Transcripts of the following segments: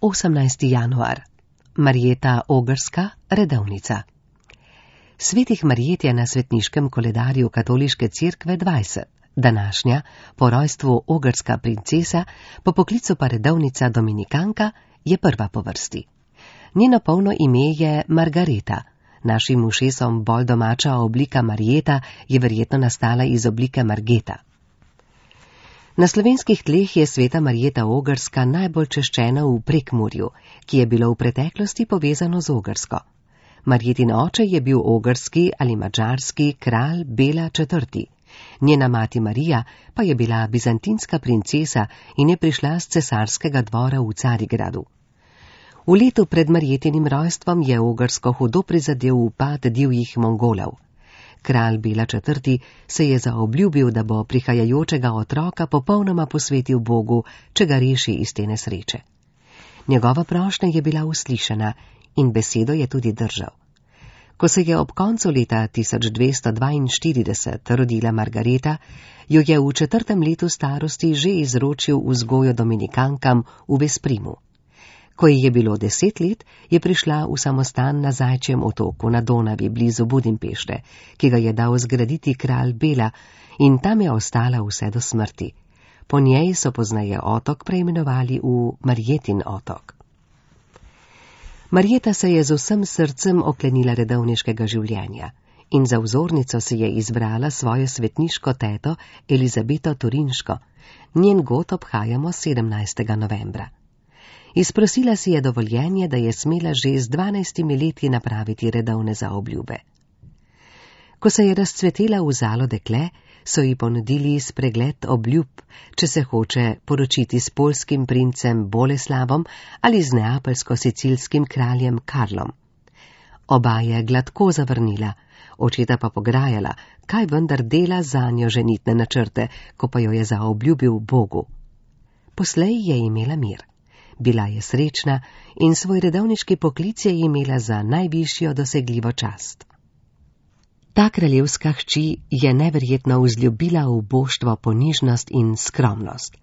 18. januar. Marjeta Ogrska, redovnica. Svetih Marjet je na svetniškem koledarju katoliške cerkve 20. Današnja, po rojstvu ogrska princesa, po poklicu pa redovnica dominikanka, je prva po vrsti. Njeno polno ime je Margareta. Našim ušesom bolj domača oblika Marjeta je verjetno nastala iz oblike Margeta. Na slovenskih tleh je sveta Marjeta Ogrska najbolj češčena v Prekmurju, ki je bilo v preteklosti povezano z Ogrsko. Marjetin oče je bil ogrski ali madžarski kralj Bela IV. Njena mati Marija pa je bila bizantinska princesa in je prišla z cesarskega dvora v Carigradu. V letu pred Marjetinim rojstvom je Ogrsko hudo prizadel upad divjih Mongolov. Kralj Bela IV. Se je zaobljubil, da bo prihajajočega otroka popolnoma posvetil Bogu, če ga reši iz te nesreče. Njegova prošnja je bila uslišana in besedo je tudi držal. Ko se je ob koncu leta 1242 rodila Margareta, jo je v 4. letu starosti že izročil vzgojo dominikankam v Vesprimu. Ko ji je bilo 10 let, je prišla v samostan na Zajčjem otoku na Donavi blizu Budimpešte, ki ga je dal zgraditi kralj Bela, in tam je ostala vse do smrti. Po njej so pozneje otok preimenovali v Marjetin otok. Marjeta se je z vsem srcem oklenila redovniškega življenja in za vzornico si je izbrala svojo svetniško teto Elizabeto Turinško. Njen god obhajamo 17. novembra. Izprosila si je dovoljenje, da je smela že z 12 leti napraviti redovne zaobljube. Ko se je razcvetela v zalo dekle, so ji ponudili spregled obljub, če se hoče poročiti s poljskim princem Boleslavom ali z neapeljsko-sicilskim kraljem Karlom. Oba je gladko zavrnila, očeta pa pograjala, kaj vendar dela zanjo ženitne načrte, ko pa jo je zaobljubil Bogu. Poslej je imela mir. Bila je srečna in svoj redovniški poklic je imela za najvišjo dosegljivo čast. Ta kraljevska hči je neverjetno vzljubila v boštvo ponižnost in skromnost.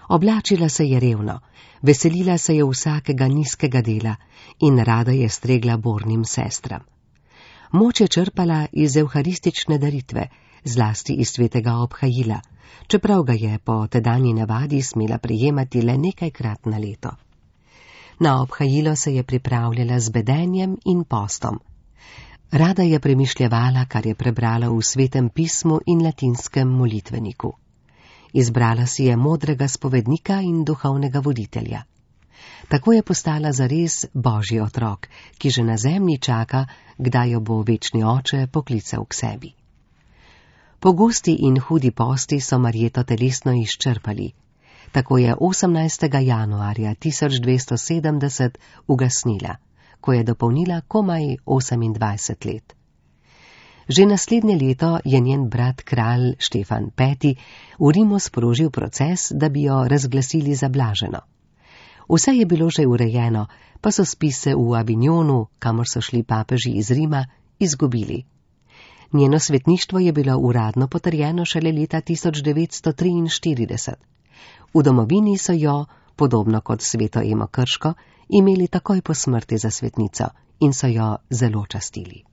Oblačila se je revno, veselila se je vsakega nizkega dela in rada je stregla bornim sestram. Moč je črpala iz evharistične daritve, zlasti iz svetega obhajila, čeprav ga je po tedanji navadi smela prejemati le nekajkrat na leto. Na obhajilo se je pripravljala z bedenjem in postom. Rada je premišljevala, kar je prebrala v Svetem pismu in latinskem molitveniku. Izbrala si je modrega spovednika in duhovnega voditelja. Tako je postala zares Božji otrok, ki že na zemlji čaka, kdaj jo bo večni oče poklical k sebi. Pogosti in hudi posti so Marjeto telesno izčrpali. Tako je 18. januarja 1270 ugasnila, ko je dopolnila komaj 28 let. Že naslednje leto je njen brat kralj Štefan V. v Rimu sprožil proces, da bi jo razglasili za blaženo. Vse je bilo že urejeno, pa so spise v Avignonu, kamor so šli papeži iz Rima, izgubili. Njeno svetništvo je bilo uradno potrjeno šele leta 1943. V domovini so jo, podobno kot sveto Emo Krško, imeli takoj po smrti za svetnico in so jo zelo častili.